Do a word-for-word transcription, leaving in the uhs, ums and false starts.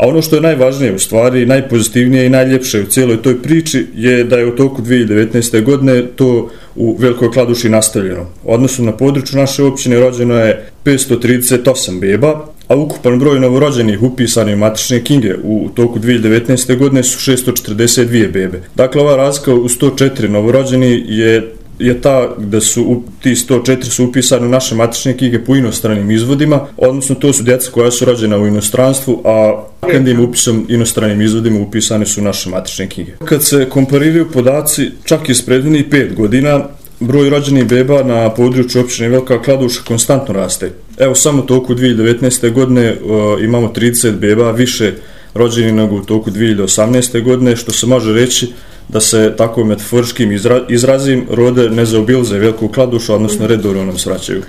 A ono što je najvažnije, u stvari najpozitivnije i najljepše u cijeloj toj priči je da je u toku dvije hiljade devetnaeste. godine to u Velikoj Kladuši nastavljeno. Odnosno na području naše općine rođeno je petsto trideset osam beba, a ukupan broj novorođenih upisani u matične knjige u toku dvije hiljade devetnaeste. godine su šesto četrdeset dvije bebe. Dakle, ova razlika u sto četiri novorođeni je je ta da su ti sto četiri su upisani u naše matične knjige po inostranim izvodima, odnosno to su djeca koja su rođena u inostranstvu, a kandijem upisom inostranim izvodima upisane su u naše matične knjige. Kad se kompariraju podaci čak iz prethodnih pet godina, broj rođenih beba na području općine Velika Kladuša konstantno raste. Evo, samo u toku dvije hiljade devetnaeste. godine uh, imamo trideset beba više rođenih nego u toku dvije hiljade osamnaeste. godine, što se može reći da se tako metaforičkim izra, izrazim rode ne zaobilaze Veliku Kladušu, odnosno redovno nam svraćaju.